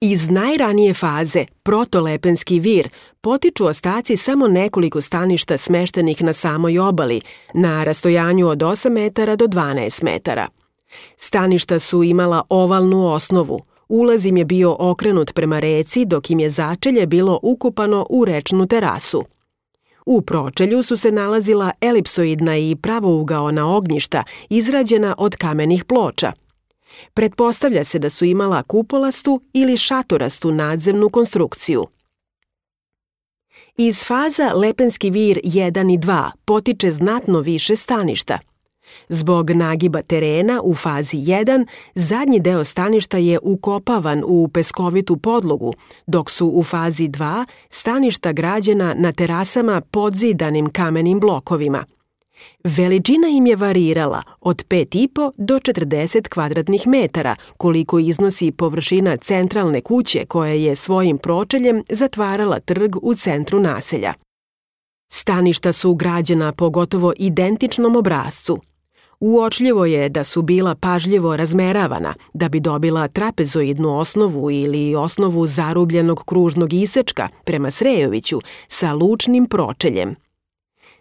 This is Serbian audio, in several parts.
Iz najranije faze, protolepenski vir, potiču ostaci samo nekoliko staništa smeštenih na samoj obali, na rastojanju od 8 metara do 12 metara. Staništa su imala ovalnu osnovu, ulaz im je bio okrenut prema reci dok im je začelje bilo ukopano u rečnu terasu. U pročelju su se nalazila elipsoidna i pravougaona ognjišta izrađena od kamenih ploča. Pretpostavlja se da su imala kupolastu ili šatorastu nadzemnu konstrukciju. Iz faza Lepenski vir 1 i 2 potiče znatno više staništa. Zbog nagiba terena u fazi 1, zadnji deo staništa je ukopavan u peskovitu podlogu, dok su u fazi 2 staništa građena na terasama podzidanim kamenim blokovima. Veličina im je varirala od 5,5 do 40 kvadratnih metara, koliko iznosi površina centralne kuće koja je svojim pročeljem zatvarala trg u centru naselja. Staništa su građena po gotovo identičnom obrascu. Uočljivo je da su bila pažljivo razmeravana da bi dobila trapezoidnu osnovu ili osnovu zarubljenog kružnog isečka prema Srejoviću sa lučnim pročeljem.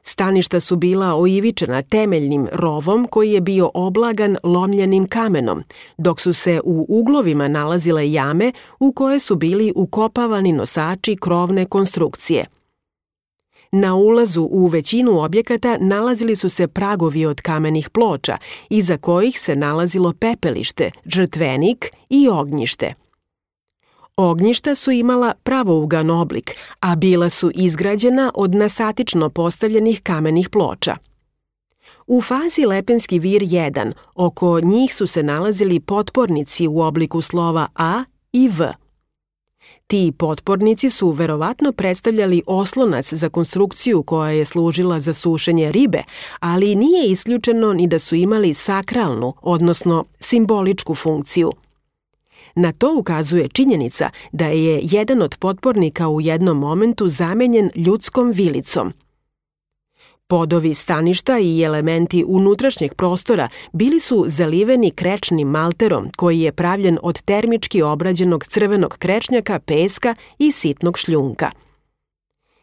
Staništa su bila oivičena temeljnim rovom koji je bio oblagan lomljenim kamenom, dok su se u uglovima nalazile jame u koje su bili ukopavani nosači krovne konstrukcije. Na ulazu u većinu objekata nalazili su se pragovi od kamenih ploča, iza kojih se nalazilo pepelište, žrtvenik i ognjište. Ognjišta su imala pravougan oblik, a bila su izgrađena od nasatično postavljenih kamenih ploča. U fazi Lepenski vir 1 oko njih su se nalazili potpornici u obliku slova A i V. Ti potpornici su verovatno predstavljali oslonac za konstrukciju koja je služila za sušenje ribe, ali nije isključeno ni da su imali sakralnu, odnosno simboličku funkciju. Na to ukazuje činjenica da je jedan od potpornika u jednom momentu zamenjen ljudskom vilicom. Podovi staništa i elementi unutrašnjeg prostora bili su zaliveni krečnim malterom koji je pravljen od termički obrađenog crvenog krečnjaka, peska i sitnog šljunka.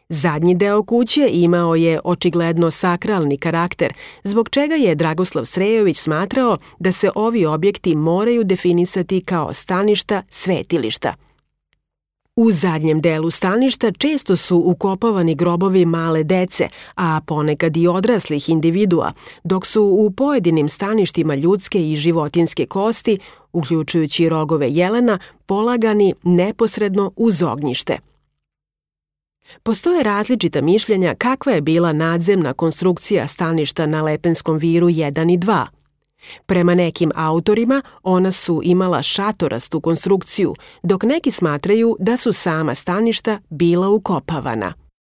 Zadnji deo kuće imao je očigledno sakralni karakter, zbog čega je Dragoslav Srejović smatrao da se ovi objekti moraju definisati kao staništa svetilišta. U zadnjem delu staništa često su ukopavani grobovi male dece, a ponekad i odraslih individua, dok su u pojedinim staništima ljudske i životinjske kosti, uključujući rogove jelena, polagani neposredno uz ognjište. Postoje različita mišljenja kakva je bila nadzemna konstrukcija staništa na Lepenskom viru 1 i 2. Prema nekim autorima ona su imala šatorastu konstrukciju, dok neki smatraju da su sama staništa bila ukopavana.